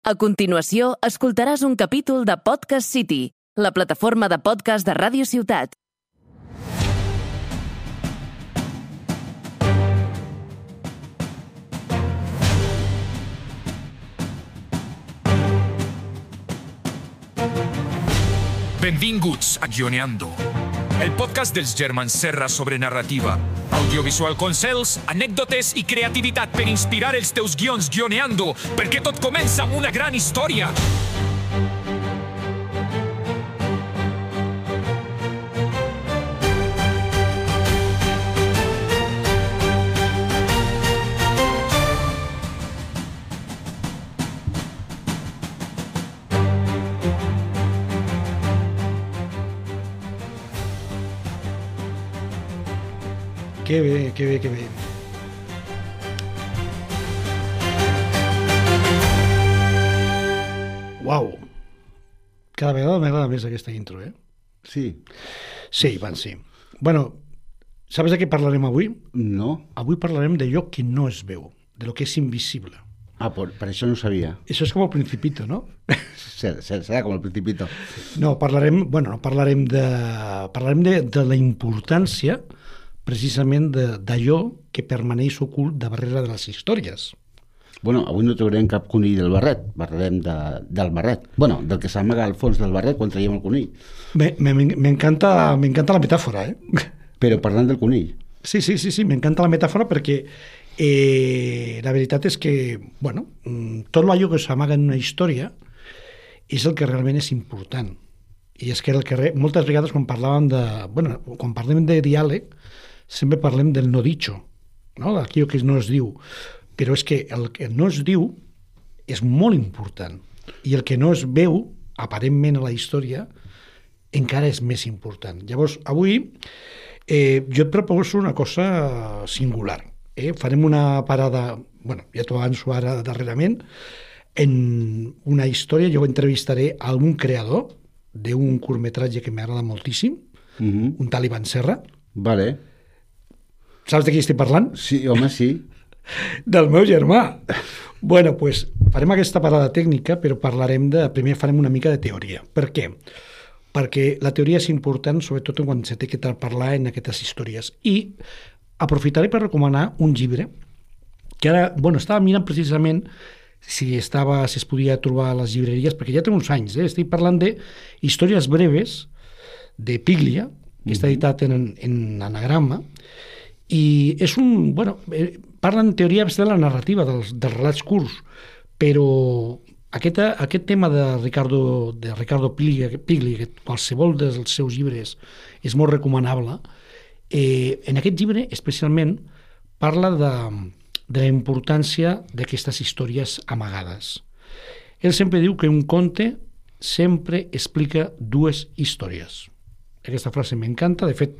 A continuació, escoltaràs un capítol de Podcast City, la plataforma de podcast de Ràdio Ciutat. Benvinguts a Guioneando, el podcast dels germans Serra sobre narrativa, audiovisual consells, anècdotes i creativitat per inspirar els teus guions guioneando, perquè tot comença amb una gran història. Que bé, que bé, que bé. Uau! Cada vegada m'agrada més aquesta intro, eh? Sí. Sí, van, sí. Bueno, sabes de què parlarem avui? No. Avui parlarem d'allò que no es veu, de lo que és invisible. Ah, per això no ho sabia. Això és com el Principito, no? Serà com el Principito. No, parlarem de la importància precisament d'allò que permaneix ocult de darrere de les històries. Bueno, avui no traurem cap conill del barret, parlarem del barret. Bueno, del que s'amaga al fons del barret quan traiem el conill. M'encanta la metàfora, eh? Però parlant del conill. Sí, m'encanta la metàfora perquè la veritat és que, bueno, tot allò que s'amaga en una història és el que realment és important. I és que moltes vegades quan parlem de diàleg, sempre parlem del no dicho, no? D'aquello que no es diu. Però és que el que no es diu és molt important. I el que no es veu, aparentment a la història, encara és més important. Llavors, avui jo et proposo una cosa singular. Farem una parada, ja t'ho avanço ara darrerament, en una història. Jo entrevistaré a un creador d'un curtmetratge que m'agrada moltíssim, un tal Ivan Serra. Vale. Saps de qui estic parlant? Sí, home, sí. Del meu germà. Bueno, doncs farem aquesta parada tècnica, però primer farem una mica de teoria. Per què? Perquè la teoria és important, sobretot quan se té que parlar en aquestes històries. I aprofitaré per recomanar un llibre que ara, estava mirant precisament si es podia trobar a les llibreries, perquè ja té uns anys, estic parlant de històries breves de Piglia, que està editat en anagrama, i és parla en teoria de la narrativa, dels relats curts, però aquest tema de Ricardo Piglia, que qualsevol dels seus llibres és molt recomanable, en aquest llibre especialment parla de la importància d'aquestes històries amagades. Ell sempre diu que un conte sempre explica dues històries. Aquesta frase m'encanta. De fet,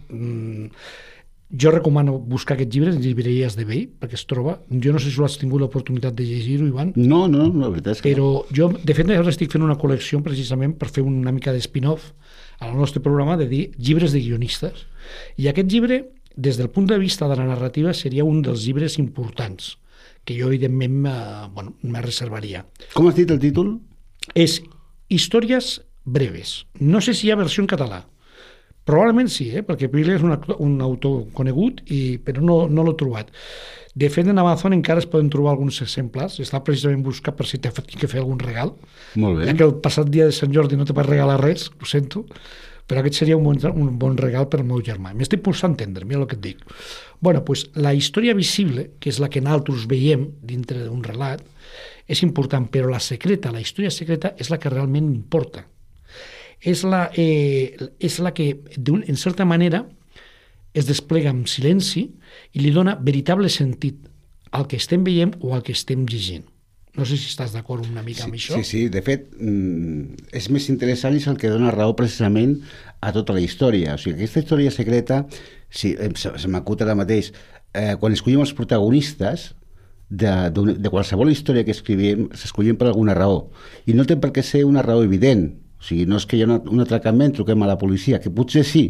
jo recomano buscar aquest llibre en llibreries de vell, perquè es troba. Jo no sé si has tingut l'oportunitat de llegir-ho, Ivan. No, la veritat és que però jo, de fet, ara estic fent una col·lecció precisament per fer una mica d'espin-off al nostre programa de dir llibres de guionistes. I aquest llibre, des del punt de vista de la narrativa, seria un dels llibres importants, que jo, evidentment, me reservaria. Com has dit el títol? És Històries breves. No sé si hi ha versió en català. Probablement sí, perquè Piglia és un autor conegut, però no l'he trobat. De fet, en Amazon encara es poden trobar alguns exemplars. Està precisament buscat per si t'he que fer algun regal. Molt bé. Ja que el passat dia de Sant Jordi no te vas regalar res, ho sento, però aquest seria un bon regal per al meu germà. M'estic posant a entendre, mira el que et dic. Doncs la història visible, que és la que nosaltres veiem dintre d'un relat, és important, però la història secreta, és la que realment importa. És la que, en certa manera, es desplega amb silenci i li dona veritable sentit al que estem veient o al que estem llegint. No sé si estàs d'acord una mica amb això. Sí, de fet, és més interessant i és el que dona raó precisament a tota la història. O sigui, aquesta història secreta, se m'acut ara mateix, quan escollim els protagonistes de qualsevol història que escrivim, s'escollim per alguna raó. I no té per què ser una raó evident. O sigui, no és que hi ha un atracament, truquem a la policia, que potser sí,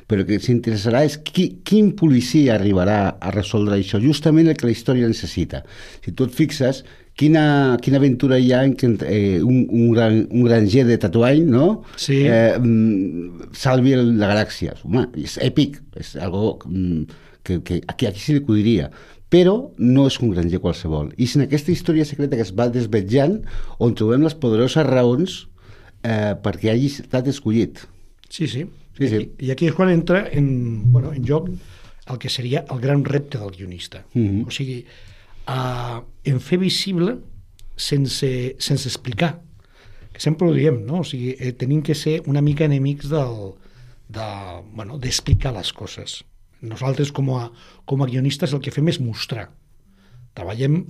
però el que s'interessarà és quin policia arribarà a resoldre això, justament el que la història necessita. Si tu et fixes, quina aventura hi ha en què un granger de Tatooine, no? Sí. Salvi la galàxia. Home, és èpic, és algo que aquí se li acudiria, però no és un granger qualsevol. I és en aquesta història secreta que es va desvetjant on trobem les poderoses raons perquè hagi estat escollit. Sí. I aquí és quan entra en joc el que seria el gran repte del guionista. O sigui, en fer visible sense explicar, que sempre ho diem, no? O sigui, tenim que ser una mica enemics d'explicar les coses. Nosaltres, com a guionistes, el que fem és mostrar. Treballem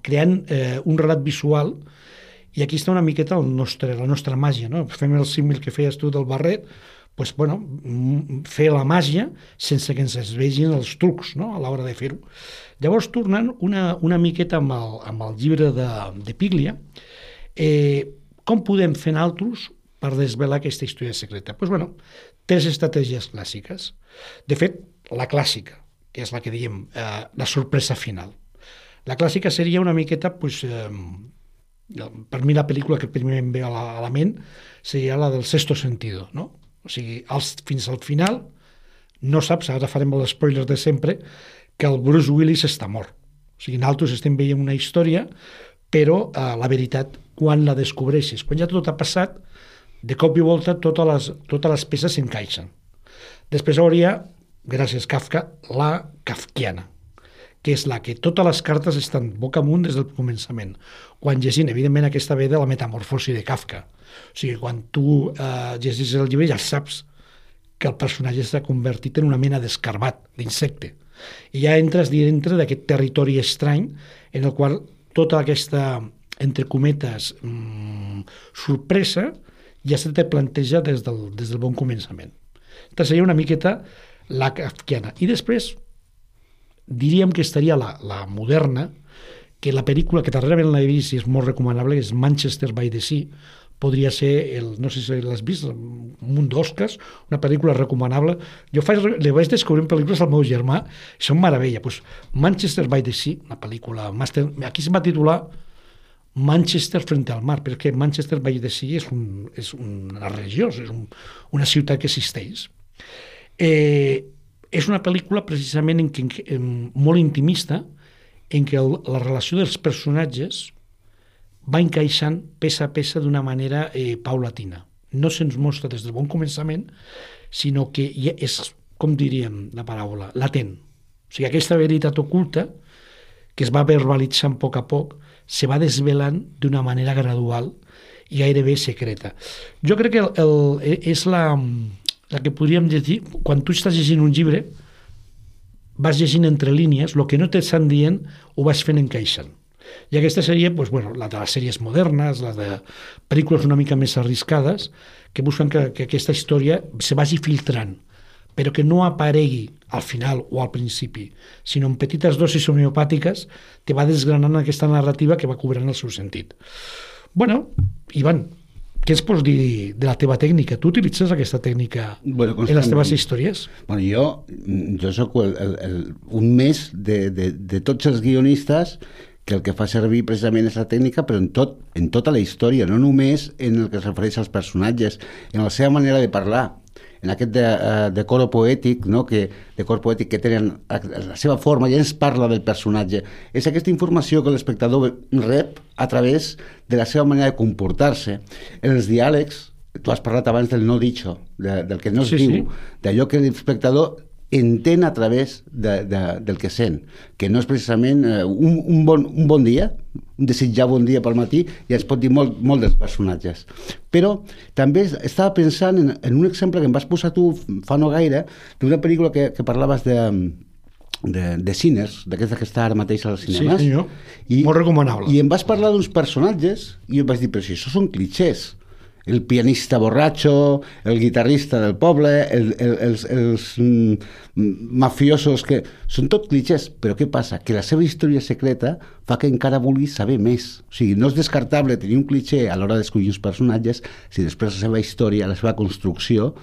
creant un relat visual, i aquí està una miqueta la nostra màgia, no? Fem el símil que feies tu del barret, doncs, fer la màgia sense que ens es vegin els trucs, no?, a l'hora de fer-ho. Llavors, tornant una miqueta amb el llibre de Piglia, com podem fer nosaltres per desvelar aquesta història secreta? Doncs, 3 estratègies clàssiques. De fet, la clàssica, que és la que diem, la sorpresa final. La clàssica seria una miqueta, per mi la pel·lícula que primer em ve a la ment seria la del Sexto Sentido, no? O sigui, fins al final no saps, ara farem els spoilers de sempre, que el Bruce Willis està mort. O sigui, nosaltres estem veient una història, però la veritat, quan la descobreixes, quan ja tot ha passat, de cop i volta totes les peces s'encaixen. Després hauria, gràcies a Kafka, la kafkiana, que és la que totes les cartes estan boca amunt des del començament. Quan llegint, evidentment, aquesta ve de la metamorfosi de Kafka. O sigui, quan tu llegis el llibre ja saps que el personatge s'ha convertit en una mena d'escarbat, d'insecte. I ja entres dintre d'aquest territori estrany en el qual tota aquesta, entre cometes, sorpresa ja se te planteja des del bon començament. Aquesta seria una miqueta la kafkiana. I després diríem que estaria la moderna, que la pel·lícula que darrerament l'he vist i és molt recomanable, que és Manchester by the Sea, podria ser, no sé si l'has vist, un munt d'Oscars, una pel·lícula recomanable. Jo li vaig descobrint pel·lícules al meu germà, i són meravella. Manchester by the Sea, una pel·lícula, aquí se va titular Manchester frente al mar, perquè Manchester by the Sea és una regió, és una ciutat que existeix. És una pel·lícula precisament molt intimista, en què la relació dels personatges va encaixant peça a peça d'una manera paulatina. No se'ns mostra des del bon començament, sinó que és, com diríem la paraula, latent. O sigui, aquesta veritat oculta, que es va verbalitzant a poc, se va desvelant d'una manera gradual i gairebé secreta. Jo crec que és la que podríem llegir, quan tu estàs llegint un llibre, vas llegint entre línies, el que no t'estan dient ho vas fent encaixant. I aquesta seria la de les sèries modernes, les de pel·lícules una mica més arriscades, que busquen que aquesta història se vagi filtrant, però que no aparegui al final o al principi, sinó en petites dosis homeopàtiques te va desgranant aquesta narrativa que va cobrant el seu sentit. Ivan, què ens pots dir de la teva tècnica? Tu utilitzes aquesta tècnica en les teves històries? Jo soc un més de tots els guionistes que el que fa servir precisament és la tècnica, però en tota la història, no només en el que es refereix als personatges, en la seva manera de parlar, en aquest decor poètic, no? Decor poètic que tenen la seva forma, ja ens parla del personatge. És aquesta informació que l'espectador rep a través de la seva manera de comportar-se. En els diàlegs, tu has parlat abans del no dicho, del que no es diu, d'allò que l'espectador entén a través del que sent, que no és precisament un bon dia, un desitjar bon dia pel matí, ja es pot dir molt dels personatges. Però també estava pensant en un exemple que em vas posar tu fa no gaire, d'una pel·lícula que parlaves de Sinners, d'aquesta que està ara mateix als cinemes. Sí, senyor. Molt recomanable. I em vas parlar d'uns personatges i em vaig dir, però si això són clichés. El pianista borratxo, el guitarrista del poble, els mafiosos, que són tot clichés. Però què passa? Que la seva història secreta fa que encara vulguis saber més. O sigui, no és descartable tenir un cliché a l'hora d'escollir uns personatges si després la seva història, la seva construcció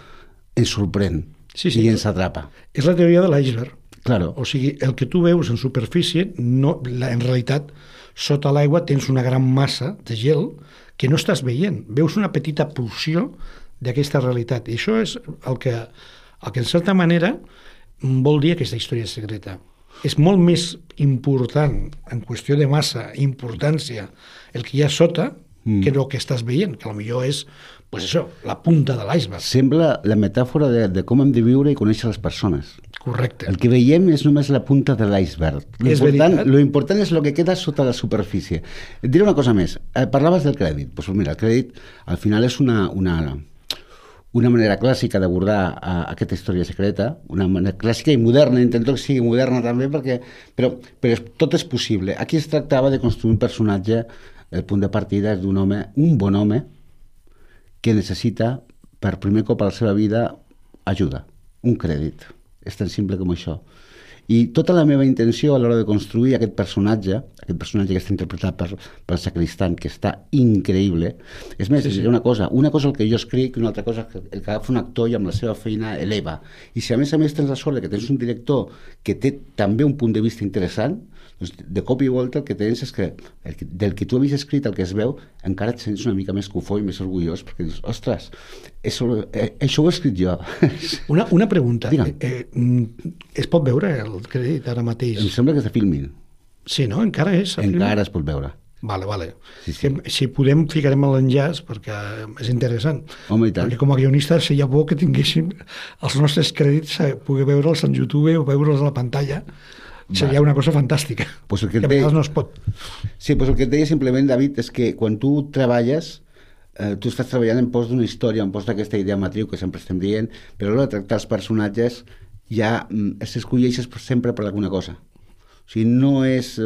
ens sorprèn i ens atrapa. És la teoria de l'iceberg. Claro. O sigui, el que tu veus en superfície, en realitat, sota l'aigua tens una gran massa de gel que no estàs veient. Veus una petita porció d'aquesta realitat. I això és el que en certa manera vol dir aquesta història secreta. És molt més important, en qüestió de massa, importància, el que hi ha sota que el que estàs veient, que potser és pues això, la punta de l'iceberg. Sembla la metàfora de com hem de viure i conèixer les persones. Correcte. El que veiem és només la punta de l'iceberg. Lo important és el que queda sota la superfície. Et diré una cosa més. Parlaves del crèdit. Pues mira, el crèdit al final és una manera clàssica d'abordar aquesta història secreta, una manera clàssica i moderna, intento que sigui moderna també, però tot és possible. Aquí es tractava de construir un personatge, el punt de partida és d'un home, un bon home, que necessita, per primer cop a la seva vida, ajuda, un crèdit. És tan simple com això. I tota la meva intenció a l'hora de construir aquest personatge que està interpretat per Sacristan, que està increïble, és més, una cosa el que jo escric, una altra cosa el que agafa un actor i amb la seva feina eleva. I si a més tens la sort que tens un director que té també un punt de vista interessant, doncs de cop i volta el que tens és que del que tu havies escrit, el que es veu, encara et sents una mica més cofó i més orgullós, perquè dius, ostres, això ho he escrit jo. Una pregunta. Es pot veure el crèdit ara mateix? Em sembla que és de Filmin. Sí, no? Encara és? Encara es pot veure. Vale. Sí. Si podem, ficarem l'enllaç, perquè és interessant. Home, i tant. Perquè com a guionista seria bo que tinguéssim els nostres crèdits, poder veure'ls en YouTube o veure'ls a la pantalla. Seria una cosa fantàstica. Pues que a vegades no es pot. Sí, pues el que et deia simplement, David, és que quan tu treballes, tu estàs treballant en pos d'una història, en pos d'aquesta idea matriu que sempre estem dient, però a l'hora de tractar els personatges ja s'escolleixes sempre per alguna cosa. O sigui, no és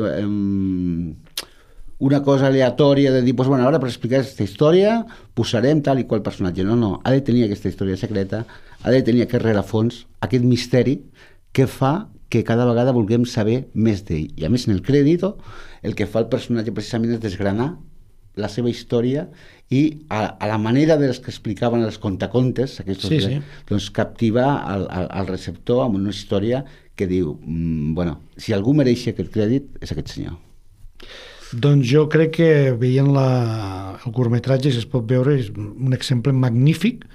una cosa aleatòria de dir, pues, bueno, ara per explicar aquesta història posarem tal i qual personatge. No, ha de tenir aquesta història secreta, ha de tenir aquest rerefons, aquest misteri que fa que cada vegada vulguem saber més d'ell. I a més, en el crèdit, el que fa el personatge precisament és desgranar la seva història i a la manera dels que explicaven els contacontes, doncs captiva el receptor amb una història que diu, bueno, si algú mereix aquest crèdit és aquest senyor. Doncs jo crec que veient el curtmetratge, si es pot veure, és un exemple magnífic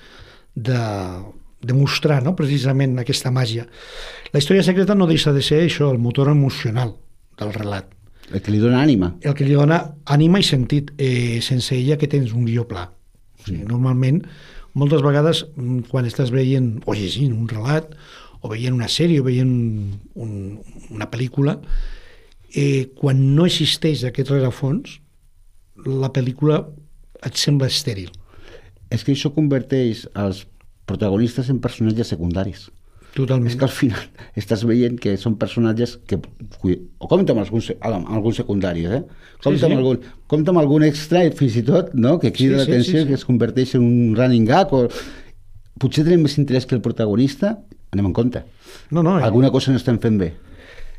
de mostrar, no?, precisament aquesta màgia. La història secreta no deixa de ser això, el motor emocional del relat. El que li dona ànima. El que li dona ànima i sentit. Sense ella que tens un guió pla. O sigui, normalment, moltes vegades, quan estàs veient o llegint un relat, o veient una sèrie, o veient una pel·lícula, quan no existeix aquest rerefons, la pel·lícula et sembla estèril. És que això converteix els protagonistes en personatges secundaris. Totalment. És que al final estàs veient que són personatges que... O compta amb alguns secundaris, compta amb algun extra, fins i tot, no?, que crida l'atenció, que es converteix en un running gag, o potser tenim més interès que el protagonista, anem en compte. Alguna cosa no estem fent bé.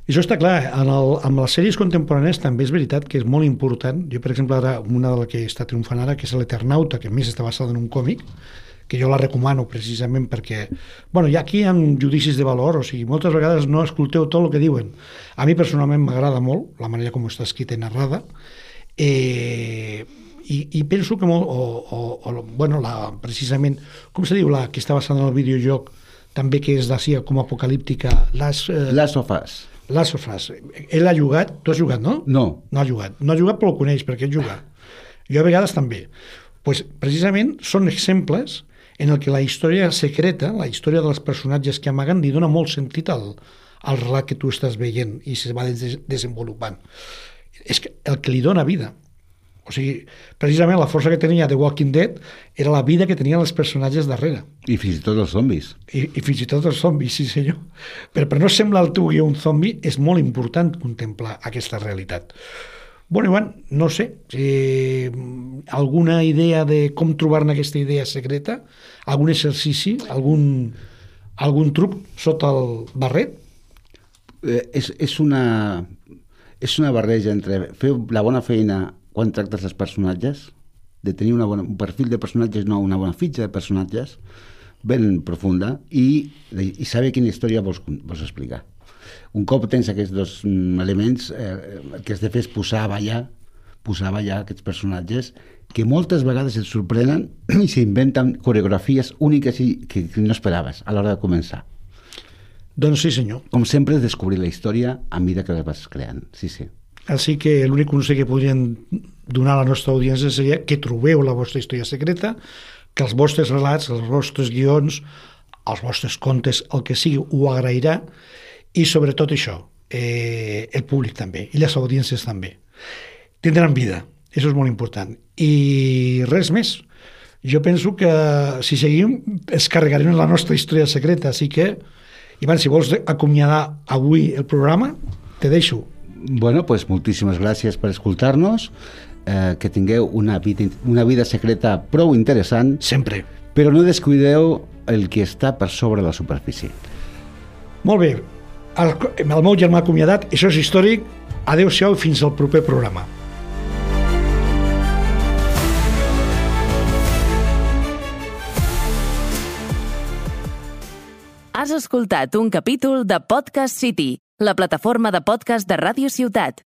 Això està clar. Amb les sèries contemporànies també és veritat que és molt important. Jo, per exemple, ara, una de les que està triomfant ara, que és l'Eternauta, que a més està basada en un còmic, que jo la recomano precisament perquè, bueno, hi ha aquí judicis de valor, o sigui, moltes vegades no escolteu tot el que diuen. A mi personalment m'agrada molt la manera com està escrita i narrada, i penso que precisament, com se diu, la que està basada en el videojoc, també que és d'ací com apocalíptica, Last of Us. Last of Us. Ell ha jugat, tu has jugat, no? No. No ha jugat, però el coneix perquè ell juga. Jo a vegades també. Pues, precisament són exemples en el que la història secreta, la història dels personatges que amaguen, li dona molt sentit al relat que tu estàs veient i se va desenvolupant. És el que li dona vida. O sigui, precisament la força que tenia The Walking Dead era la vida que tenien els personatges darrere. I fins i tot els zombis. I fins i tot els zombis, sí senyor. Però per no semblar el teu guió un zombi, és molt important contemplar aquesta realitat. Bueno, Ivan, no sé, alguna idea de com trobar-ne aquesta idea secreta? Algun exercici? Algun truc sota el barret? És una barreja entre fer la bona feina quan tractes els personatges, de tenir un perfil de personatges, no una bona fitxa de personatges, ben profunda, i saber quina història vols explicar. Un cop tens aquests dos elements, el que has de fer és posar a ballar aquests personatges que moltes vegades et sorprenen i s'inventen coreografies úniques i que no esperaves a l'hora de començar. Doncs sí, senyor. Com sempre, descobrir la història a mesura que la vas creant. Sí. Així que l'únic consell que podríem donar a la nostra audiència seria que trobeu la vostra història secreta, que els vostres relats, els vostres guions, els vostres contes, el que sigui, ho agrairà, i sobretot això, el públic també, i les audiències també. Tindran vida, això és molt important. I res més. Jo penso que si seguim es carregarem la nostra història secreta, així que, Ivan, si vols acomiadar avui el programa, te deixo. Bueno, pues moltíssimes gràcies per escoltar-nos, que tingueu una vida secreta prou interessant. Sempre. Però no descuideu el que està per sobre la superfície. Molt bé. El meu germà acomiadat, això és històric. Adéu-siau i fins al proper programa. Has escoltat un capítol de Podcast City, la plataforma de podcast de Ràdio Ciutat.